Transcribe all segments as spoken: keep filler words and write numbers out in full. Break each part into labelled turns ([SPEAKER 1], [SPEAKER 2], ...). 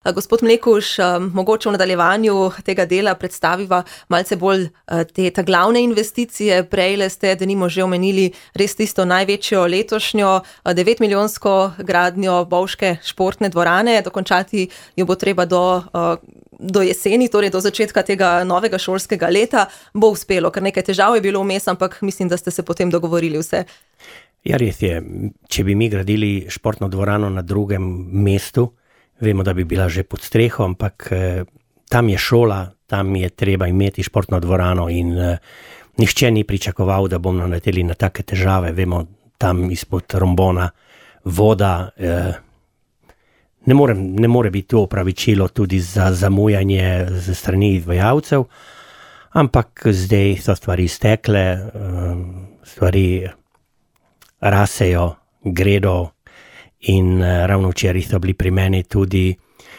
[SPEAKER 1] Gospod Mlekuž, mogoče v nadaljevanju tega dela predstaviva malce bolj te ta glavne investicije. Prejle ste, denimo, že omenili res tisto največjo letošnjo devetmilijonsko gradnjo bovške športne dvorane. Dokončati jo bo treba do, do jeseni, torej do začetka tega novega šolskega leta. Bo uspelo, ker nekaj težav je bilo vmes, ampak mislim, da ste se potem dogovorili vse.
[SPEAKER 2] Ja, res je. Če bi mi gradili športno dvorano na drugem mestu, vemo, da bi bila že pod streho, ampak eh, tam je šola, tam je treba imeti športno dvorano in eh, nihče ni pričakoval, da bomo naleteli na take težave. Vemo, tam izpod rombona voda, eh, ne, more, ne more biti to opravičilo tudi za zamujanje ze strani izvajalcev, ampak zdaj so stvari stekle, eh, stvari rasejo, gredo. In uh, ravno včeraj so bili pri meni tudi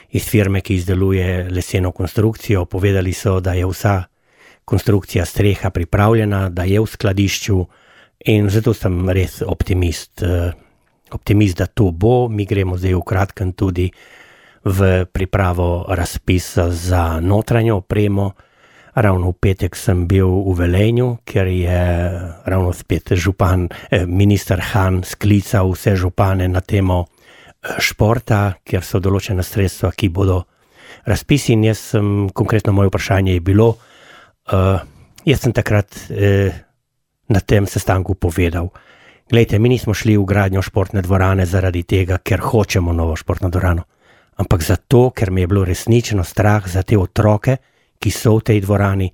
[SPEAKER 2] iz firme, ki izdeluje leseno konstrukcijo. Povedali so, da je vsa konstrukcija streha pripravljena, da je v skladišču in zato sem res optimist. Uh, optimist, da to bo. Mi gremo zdaj v kratkem tudi v pripravo razpisa za notranjo opremo. Ravno v petek sem bil v Velenju, ker je ravno spet župan, eh, minister Han sklical vse župane na temo športa, kjer so določena sredstva, ki bodo razpisi. In jaz sem, konkretno moje vprašanje je bilo, uh, jaz sem takrat eh, na tem sestanku povedal, glejte, mi nismo šli v gradnjo športne dvorane zaradi tega, ker hočemo novo športno dvorano, ampak zato, ker mi je bilo resnično strah za te otroke, ki so v tej dvorani.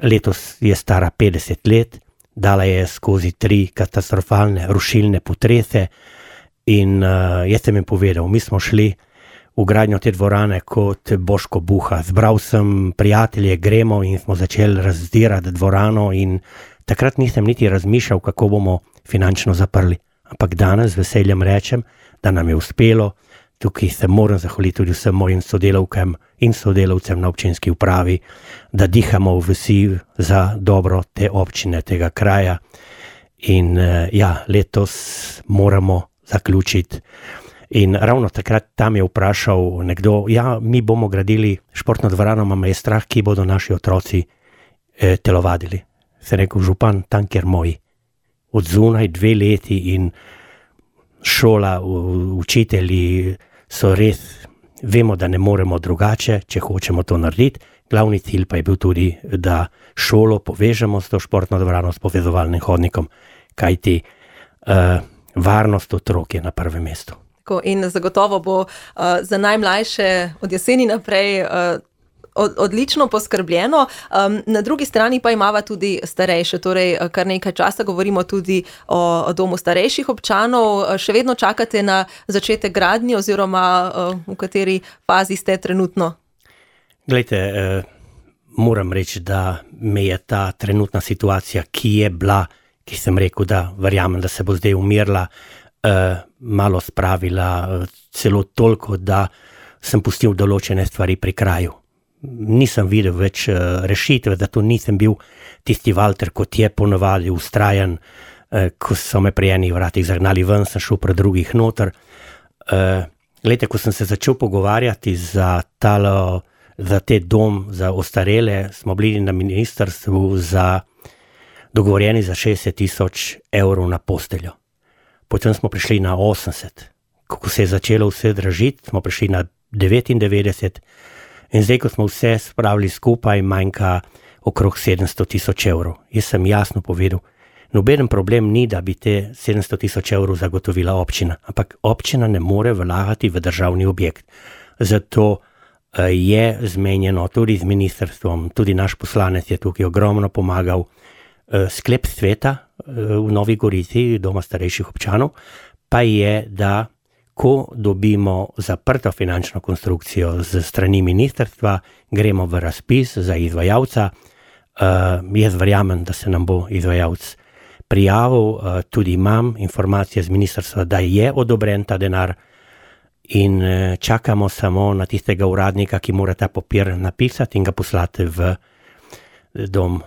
[SPEAKER 2] Letos je stara petdeset let, dala je skozi tri katastrofalne rušilne potrese in uh, jaz sem jim povedal, mi smo šli v gradnjo te dvorane kot Boško Buha. Zbral sem prijatelje, gremo in smo začeli razdirati dvorano in takrat nisem niti razmišljal, kako bomo finančno zaprli. Ampak danes z veseljem rečem, da nam je uspelo. Tukaj se moram zahvaliti tudi vsem mojim sodelavkam in sodelavcem na občinski upravi, da dihamo vsi za dobro te občine, tega kraja. In ja, letos moramo zaključiti. In ravno takrat tam je vprašal nekdo, ja, mi bomo gradili športno dvorano, mama je strah, ki bodo naši otroci eh, telovadili. Se rekel, župan, tam kjer moji. Od zunaj dve leti in šola, učitelji so res, vemo, da ne moremo drugače, če hočemo to narediti. Glavni cilj pa je bil tudi, da šolo povežemo s to športno dvorano, s povezovalnim hodnikom, kajti uh, varnost otrok je na prvem mestu.
[SPEAKER 1] In zagotovo bo uh, za najmlajše od jeseni naprej uh, odlično poskrbljeno. Um, na drugi strani pa imava tudi starejše, torej kar nekaj časa govorimo tudi o, o domu starejših občanov. Še vedno čakate na začetek gradnje oziroma uh, v kateri fazi ste trenutno?
[SPEAKER 2] Glejte, eh, moram reči, da me je ta trenutna situacija, ki je bila, ki sem rekel, da verjamem, da se bo zdaj umirla, eh, malo spravila, celo toliko, da sem pustil določene stvari pri kraju. Nisem videl več uh, rešitve, zato nisem bil tisti Walter, kot je ponovadi ustrajan, uh, ko so me pri enih vratih zagnali ven, sem šel pri drugih noter. Uh, Glejte, ko sem se začel pogovarjati za, talo, za te dom za ostarele, smo bili na ministrstvu za dogovorjeni za šestdeset tisoč evrov na posteljo. Potem smo prišli na osemdeset. Ko se je začelo vse dražiti, smo prišli na devetindevetdeset. In zdaj, ko smo vse spravili skupaj, manjka okrog sedemsto tisoč evrov. Jaz sem jasno povedal, nobeden problem ni, da bi te sedemsto tisoč evrov zagotovila občina, ampak občina ne more vlagati v državni objekt. Zato je zmenjeno tudi z ministrstvom, tudi naš poslanec je tukaj ogromno pomagal, sklep sveta v Novi Gorici, doma starejših občanov, pa je, da ko dobimo zaprto finančno konstrukcijo z strani ministrstva, gremo v razpis za izvajalca. Uh, jaz verjamem, da se nam bo izvajalc prijavil, uh, tudi imam informacije z ministrstva, da je odobren ta denar in uh, čakamo samo na tistega uradnika, ki mora ta papir napisati in ga poslati v dom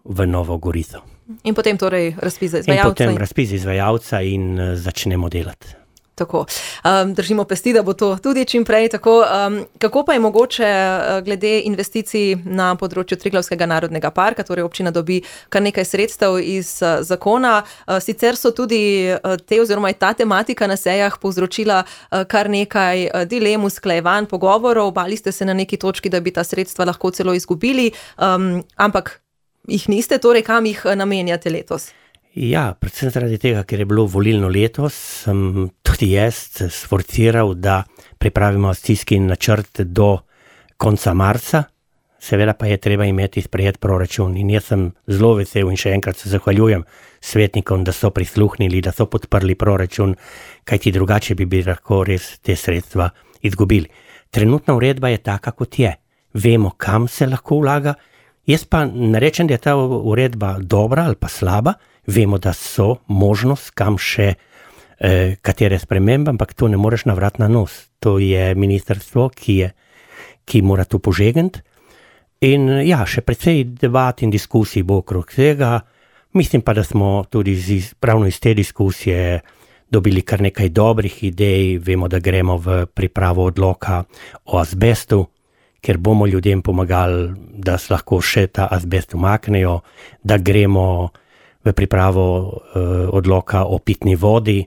[SPEAKER 2] v Novo Gorico.
[SPEAKER 1] In potem torej razpis za izvajalca.
[SPEAKER 2] In potem razpis za izvajalca in uh, začnemo delati.
[SPEAKER 1] Tako, um, držimo pesti, da bo to tudi čim prej. Tako, um, kako pa je mogoče uh, glede investicij na področju Triglavskega narodnega parka, torej občina dobi kar nekaj sredstev iz uh, zakona. Uh, sicer so tudi uh, te oziroma je ta tematika na sejah povzročila uh, kar nekaj uh, dilem, usklajevanj, pogovorov. Bali ste se na neki točki, da bi ta sredstva lahko celo izgubili, um, ampak jih niste, torej kam jih namenjate letos?
[SPEAKER 2] Ja, predvsem zaradi tega, ker je bilo volilno leto, sem tudi jaz sforciral, da pripravimo akcijski načrt do konca marca, seveda pa je treba imeti sprejet proračun in jaz sem zelo vesel in še enkrat se zahvaljujem svetnikom, da so prisluhnili, da so podprli proračun, kajti drugače bi bi lahko res te sredstva izgubili. Trenutna uredba je taka, kot je. Vemo, kam se lahko vlaga. Jaz pa ne rečem, da je ta uredba dobra ali pa slaba, vemo, da so možnost, kam še eh, katere spremembe, ampak to ne moreš navrati na nos. To je ministrstvo, ki, je, ki mora to požegnati. In ja, še precej debat in diskusij bo okrog tega. Mislim pa, da smo tudi iz, pravno iz te diskusije dobili kar nekaj dobrih idej. Vemo, da gremo v pripravo odloka o azbestu, ker bomo ljudem pomagali, da se lahko še ta azbest umaknejo, da gremo v pripravo uh, odloka o pitni vodi,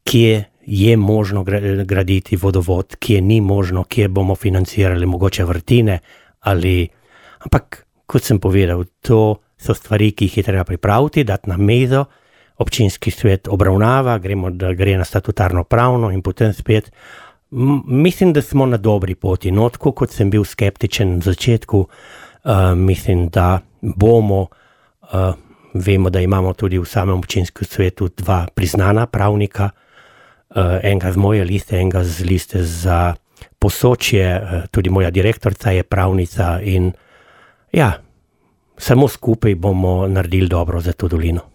[SPEAKER 2] kje je možno graditi vodovod, kje ni možno, kje bomo financirali mogoče vrtine, ali, ampak kot sem povedal, to so stvari, ki jih je treba pripraviti, dati na mizo, občinski svet obravnava, gremo, da gre na statutarno pravno in potem spet. M- mislim, da smo na dobri poti, no, tako kot sem bil skeptičen na začetku, uh, mislim, da bomo uh, Vemo, da imamo tudi v samem občinskem svetu dva priznana pravnika, uh, enega z moje liste, enega z liste za Posočje, uh, tudi moja direktorica je pravnica in ja, samo skupaj bomo naredili dobro za to dolino.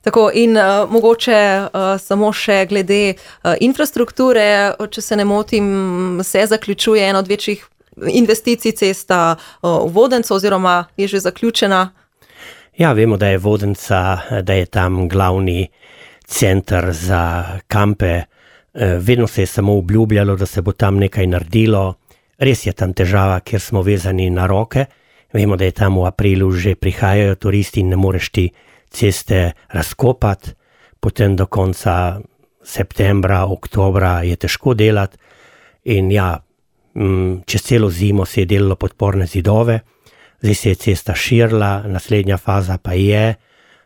[SPEAKER 1] Tako in uh, mogoče uh, samo še glede uh, infrastrukture, če se ne motim, se zaključuje ena od večjih investicij cesta uh, v Vodenco oziroma je že zaključena.
[SPEAKER 2] Ja, vemo, da je Vodenca, da je tam glavni center za kampe. Vedno se je samo obljubljalo, da se bo tam nekaj naredilo. Res je tam težava, ker smo vezani na roke. Vemo, da je tam v aprilu že prihajajo turisti in ne moreš ti ceste razkopati. Potem do konca septembra, oktobra je težko delati. In ja, čez celo zimo se je delalo podporne zidove. Zdaj se je cesta širila, naslednja faza pa je,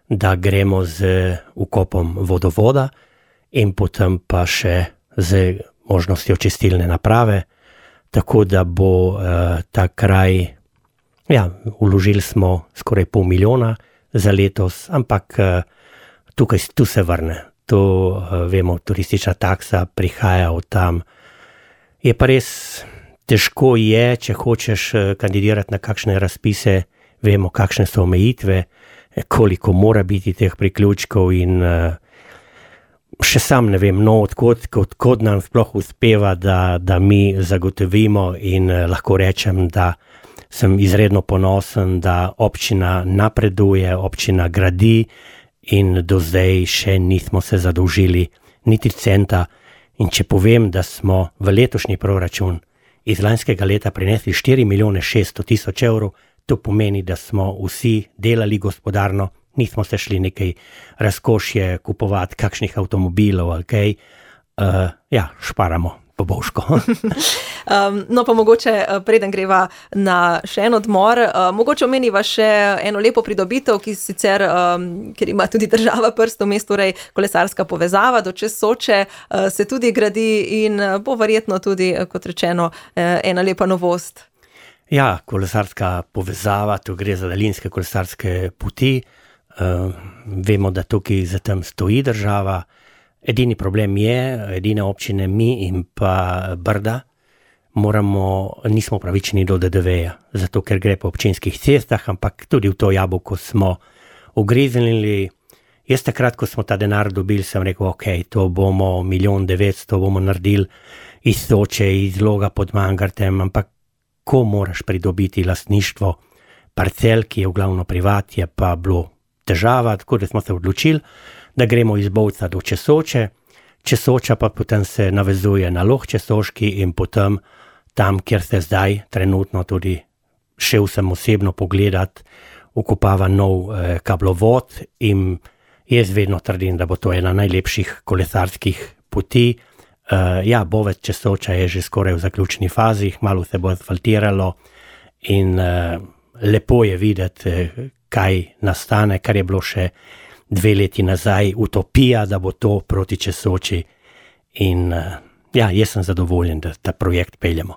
[SPEAKER 2] da gremo z ukopom vodovoda in potem pa še z možnostjo čistilne naprave, tako da bo uh, ta kraj, ja, vložili smo skoraj pol milijona za letos, ampak uh, tukaj tu se vrne. To uh, vemo, turistična taksa prihaja od tam. Je pa res težko je, če hočeš kandidirati na kakšne razpise, vemo, kakšne so omejitve, koliko mora biti teh priključkov in uh, še sam ne vem, no, odkot, odkot nam sploh uspeva, da, da mi zagotovimo in uh, lahko rečem, da sem izredno ponosen, da občina napreduje, občina gradi in do zdaj še nismo se zadolžili niti centa. In če povem, da smo v letošnji proračun iz lanskega leta prinesli štiri milijone šeststo tisoč evrov, to pomeni, da smo vsi delali gospodarno, nismo se šli nekaj razkošje kupovati kakšnih avtomobilov ali kaj, uh, ja, šparamo po božko.
[SPEAKER 1] um, no pa mogoče preden greva na še en odmor, uh, mogoče omeniva še eno lepo pridobitev, ki sicer, um, ker ima tudi država prst v mestu, torej kolesarska povezava do čez Soče, uh, se tudi gradi in bo verjetno tudi, kot rečeno, uh, ena lepa novost.
[SPEAKER 2] Ja, kolesarska povezava, to gre za daljinske kolesarske poti. Uh, vemo, da tukaj za tem stoji država. Edini problem je, edine občine mi in pa Brda, moramo, nismo pravični do D D V-ja, zato ker gre po občinskih cestah, ampak tudi v to jabolko smo ugriznili. Jaz takrat, ko smo ta denar dobili, sem rekel, ok, to bomo milijon devetsto bomo naredili iz Soče, iz Loga pod Mangartem, ampak ko moraš pridobiti lastništvo parcel, ki je v glavno privat, je pa bilo težava, tako da smo se odločili, da gremo iz Bovca do čez Soče. Česoča pa potem se navezuje na Loh Česoški in potem tam, kjer se zdaj trenutno tudi šel sem osebno pogledat, ukopava nov eh, kablovod in jaz vedno trdim, da bo to ena najlepših kolesarskih poti. Uh, ja, Bovec Česoča je že skoraj v zaključni fazi, malo se bo asfaltiralo in uh, lepo je videti, kaj nastane, kar je bilo še dve leti nazaj utopija, da bo to proti Česoči in uh, ja, jaz sem zadovoljen, da ta projekt peljemo.